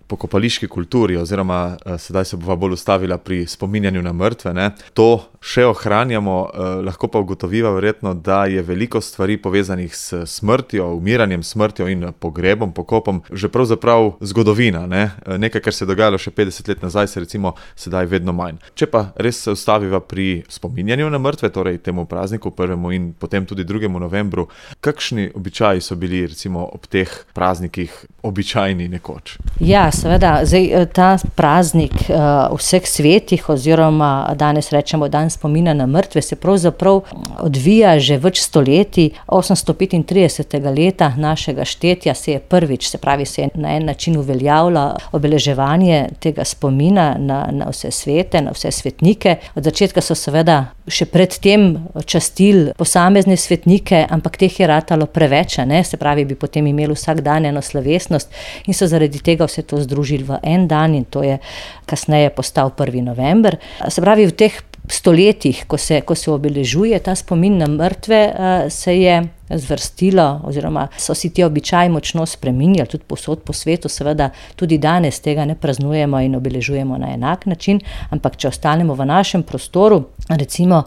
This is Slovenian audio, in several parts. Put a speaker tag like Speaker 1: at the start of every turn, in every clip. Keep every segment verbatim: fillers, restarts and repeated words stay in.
Speaker 1: pokopališki kulturi oziroma uh, sedaj se bova bolj ustavila pri spominjanju na mrtve, ne, to še ohranjamo, uh, lahko pa ugotoviva verjetno, da je veliko stvari povezanih s smrtjo, umiranjem, smrtjo in pogrebom, pokopom, že pravzaprav zgodovina, ne, nekaj, kar se je dogajalo še petdeset let nazaj, se recimo sedaj vedno manj. Če pa res se ustaviva pri spominjanju na mrtve, torej temu prazniku prvemu in potem tudi drugemu novembru, kakšni običaji so bili recimo ob teh praznikih običajni nekoč?
Speaker 2: Ja, seveda, zdaj ta praznik uh, vseh svetih oziroma danes rečemo dan spomina na mrtve se pravzaprav odvija že več stoletij. osemsto petintridesetega leta našega štetja se je prvič, se pravi, se je na en način uveljavlja obeleževanje tega spomina na, na vse svete, na vse svetnike. Od začetka so seveda še predtem častili posamezne svetnike, ampak teh je ratalo preveč, ne? Se pravi, bi potem imeli vsak dan eno slovesnost in so zaradi tega vse to združili v en dan in to je kasneje postal prvi november. Se pravi, v teh stoletjih, ko se, ko se obeležuje ta spomin na mrtve, se je zvrstilo oziroma so si ti običaji močno spreminjali, tudi povsod po svetu, seveda tudi danes tega ne praznujemo in obeležujemo na enak način, ampak če ostanemo v našem prostoru, recimo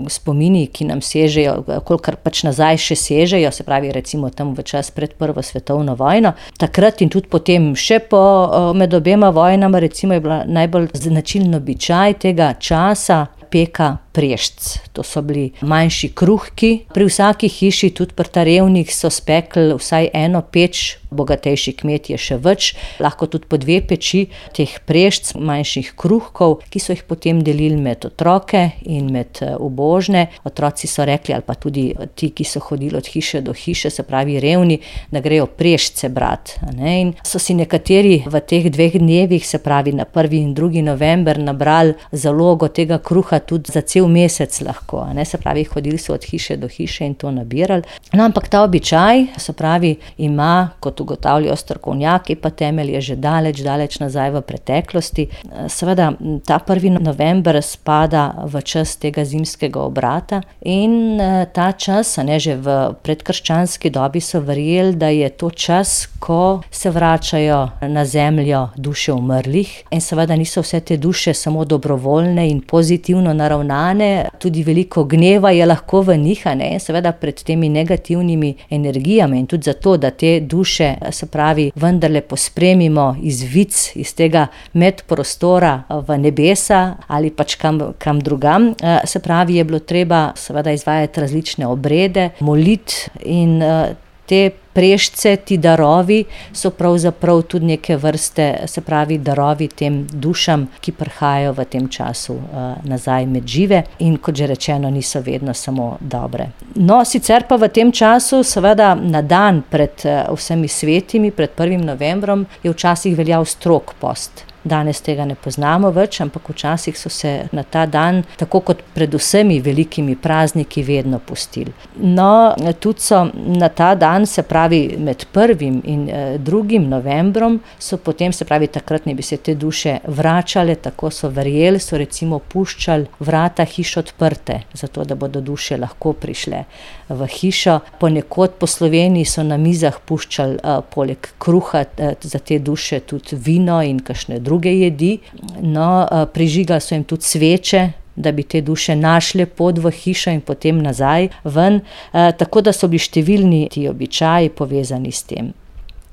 Speaker 2: spomini, ki nam sežejo, kolikor pač nazaj še sežejo, se pravi recimo tam v čas pred prvo svetovno vojno, takrat in tudi potem še po med obema vojnama, recimo je bila najbolj značilen običaj tega časa peka prešc. To so bili manjši kruhki. Pri vsaki hiši, tudi pri Tarevnih, so spekli vsaj eno peč, bogatejši kmetje še več, lahko tudi po dve peči teh prešc, manjših kruhkov, ki so jih potem delili med otroke in med ubožne. Otroci so rekli, ali pa tudi ti, ki so hodili od hiše do hiše, se pravi revni, da grejo prešce brat. Ne? In so si nekateri v teh dveh dnevih, se pravi na prvi in drugi november, nabrali zalogo tega kruha tudi za cel mesec lahko, ne, se pravi, hodili so od hiše do hiše in to nabirali. No, ampak ta običaj, se pravi, ima, kot ugotavljajo strokovnjaki, pa temelje že daleč, daleč nazaj v preteklosti. Seveda, ta prvi november spada v čas tega zimskega obrata in ta čas, ne, že v predkrščanski dobi so verjeli, da je to čas, ko se vračajo na zemljo duše umrlih in seveda niso vse te duše samo dobrovoljne in pozitivno naravnane, tudi veliko gneva je lahko v njih, ne, in seveda pred temi negativnimi energijami in tudi zato, da te duše, se pravi, vendarle pospremimo iz vic, iz tega medprostora v nebesa ali pač kam, kam drugam, se pravi, je bilo treba seveda izvajati različne obrede, moliti in te prešce, ti darovi so pravzaprav tudi neke vrste, se pravi, darovi tem dušam, ki prihajajo v tem času uh, nazaj med žive in kot že rečeno, niso vedno samo dobre. No, sicer pa v tem času, seveda na dan pred uh, vsemi svetimi, pred prvim novembrom, je včasih veljal strog post. Danes tega ne poznamo več, ampak včasih so se na ta dan, tako kot pred vsemi velikimi prazniki, vedno pustili. No, tudi so na ta dan, se pravi med prvim in eh, drugim novembrom, so potem, se pravi takrat ne bi se te duše vračale, tako so verjeli, so recimo puščali vrata hiš odprte, zato da bodo duše lahko prišle v hišo. Ponekod po Sloveniji so na mizah puščali eh, poleg kruha eh, za te duše tudi vino in kakšne druge jedi. No, prižigali so jim tudi sveče, da bi te duše našle pot v hišo in potem nazaj ven, tako da so bili številni ti običaji povezani s tem.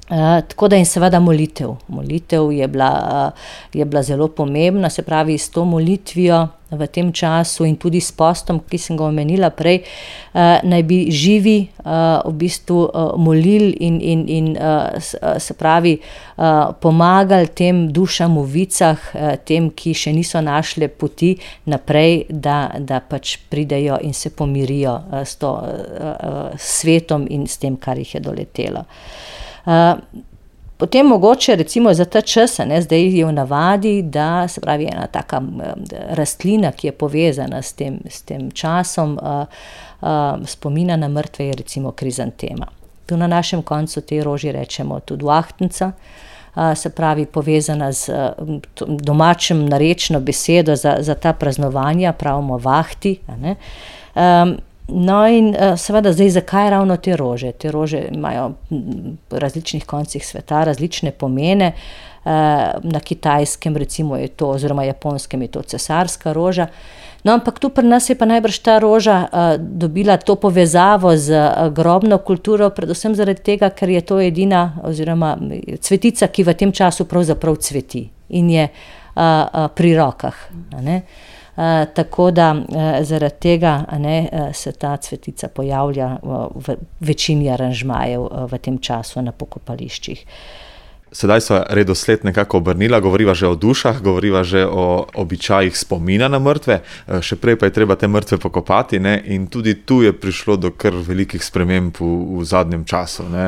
Speaker 2: Uh, tako da in seveda molitev. Molitev je bila, uh, je bila zelo pomembna, se pravi s to molitvijo v tem času in tudi s postom, ki sem ga omenila prej, uh, naj bi živi uh, v bistvu uh, molili in, in, in uh, se pravi uh, pomagali tem dušam v vicah, uh, tem, ki še niso našle poti naprej, da, da pač pridejo in se pomirijo uh, s to uh, uh, svetom in s tem, kar jih je doletelo. Uh, potem mogoče recimo za ta čas, ne, zdaj je v navadi, da se pravi ena taka rastlina, ki je povezana s tem, s tem časom uh, uh, spomina na mrtve, je recimo krizantema. Tu na našem koncu te roži rečemo tudi vahtnica, uh, se pravi povezana z uh, domačim narečno besedo za, za ta praznovanja, pravimo vahti. Ne. Um, No in seveda zdaj, zakaj ravno te rože? Te rože imajo v različnih koncih sveta različne pomene. Na Kitajskem recimo je to, oziroma Japonskem je to cesarska roža. No, ampak tu pri nas je pa najbrž ta roža dobila to povezavo z grobno kulturo, predvsem zaradi tega, ker je to edina oziroma cvetica, ki v tem času pravzaprav cveti in je pri rokah, a ne. Uh, tako da uh, zaradi tega a ne, uh, se ta cvetica pojavlja uh, v večini aranžmajev uh, v tem času na pokopališčih.
Speaker 1: Sedaj sva redosled nekako obrnila, govoriva že o dušah, govoriva že o običajih spomina na mrtve, še prej pa je treba te mrtve pokopati, ne? In tudi tu je prišlo do kar velikih sprememb v, v zadnjem času, ne?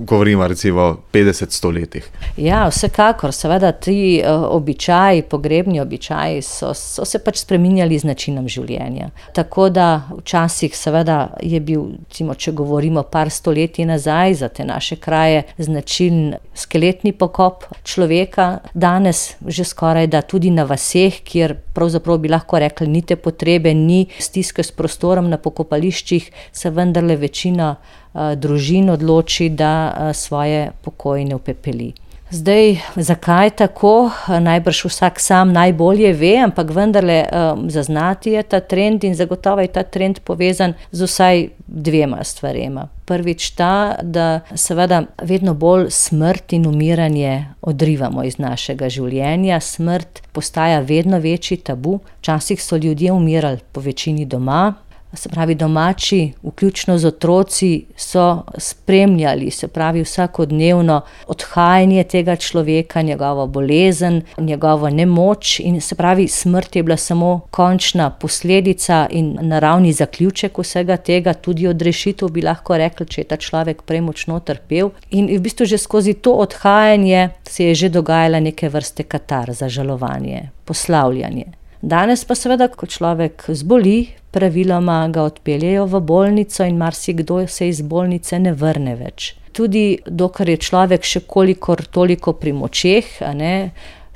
Speaker 1: Govorimo recimo o petdeset stoletjih.
Speaker 2: Ja, vsekakor, seveda ti uh, običaji, pogrebni običaji so, so se pač spreminjali z načinom življenja. Tako da včasih seveda je bil, recimo, če govorimo par stoletij nazaj, za te naše kraje značilen skeletni pokop človeka, danes že skoraj da tudi na vaseh, kjer pravzaprav bi lahko rekli, ni te potrebe, ni stiske s prostorom na pokopališčih, se vendarle večina uh, družin odloči, da uh, svoje pokojne upepeli. Zdaj, zakaj tako? Najbrž vsak sam najbolje ve, ampak vendarle um, zaznati je ta trend in zagotovo je ta trend povezan z vsaj dvema stvarema. Prvič ta, da seveda vedno bolj smrt in umiranje odrivamo iz našega življenja. Smrt postaja vedno večji tabu. Včasih so ljudje umirali po večini doma. Se pravi, domači, vključno z otroci, so spremljali, se pravi, vsakodnevno odhajanje tega človeka, njegovo bolezen, njegovo nemoč in se pravi, smrt je bila samo končna posledica in naravni zaključek vsega tega, tudi odrešitev bi lahko rekli, če je ta človek prej močno trpel. In v bistvu že skozi to odhajanje se je že dogajala neke vrste katarza, žalovanje, poslavljanje. Danes pa seveda, ko človek zboli, praviloma ga odpeljejo v bolnico in marsikdo se iz bolnice ne vrne več. Tudi dokler je človek še kolikor toliko pri močeh, a ne,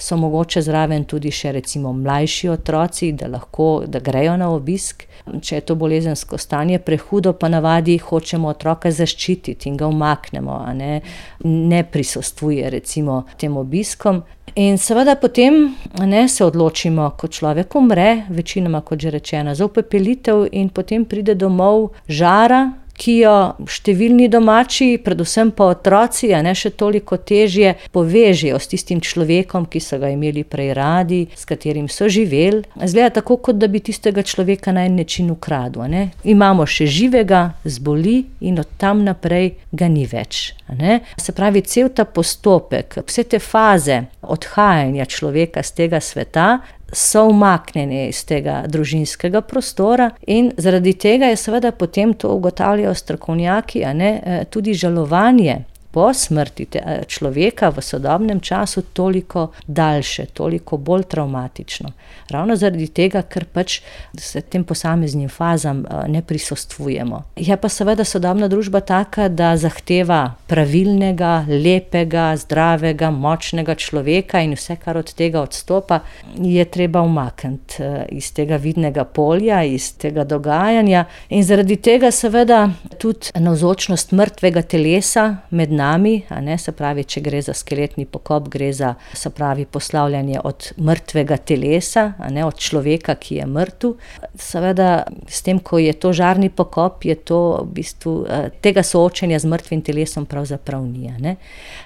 Speaker 2: so mogoče zraven tudi še recimo mlajši otroci, da lahko, da grejo na obisk. Če je to bolezensko stanje prehudo, pa navadi hočemo otroka zaščititi in ga umaknemo, a ne, ne prisostvuje recimo tem obiskom. In seveda potem ne, se odločimo, ko človek umre, večinoma kot že rečeno, za upepelitev in potem pride domov žara, ki jo številni domači, predvsem pa otroci, a ne še toliko težje, povežejo s tistim človekom, ki so ga imeli prej radi, s katerim so živeli. Zgleda tako, kot da bi tistega človeka na en način ukradel, a ne. Imamo še živega, zboli in od tam naprej ga ni več, a ne. Se pravi, cel ta postopek, vse te faze odhajanja človeka z tega sveta so umaknjene iz tega družinskega prostora in zaradi tega je seveda potem, to ugotavljajo strokovnjaki, a ne, tudi žalovanje po smrti človeka v sodobnem času toliko daljše, toliko bolj travmatično. Ravno zaradi tega, ker pač se tem posameznim fazam ne prisostvujemo. Je pa seveda sodobna družba taka, da zahteva pravilnega, lepega, zdravega, močnega človeka in vse, kar od tega odstopa, je treba umakniti iz tega vidnega polja, iz tega dogajanja in zaradi tega seveda tudi navzočnost mrtvega telesa med nami, a ne, se pravi, če gre za skeletni pokop, gre za, se pravi, poslavljanje od mrtvega telesa, a ne, od človeka, ki je mrtev. Seveda, s tem, ko je to žarni pokop, je to v bistvu, tega soočenja z mrtvim telesom pravzaprav ni, a ne.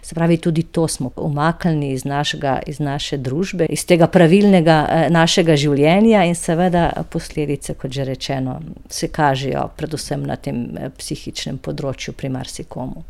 Speaker 2: Se pravi, tudi to smo umaknili iz našega, iz naše družbe, iz tega pravilnega našega življenja in seveda posledice, kot že rečeno, se kažejo predvsem na tem psihičnem področju pri marsikomu.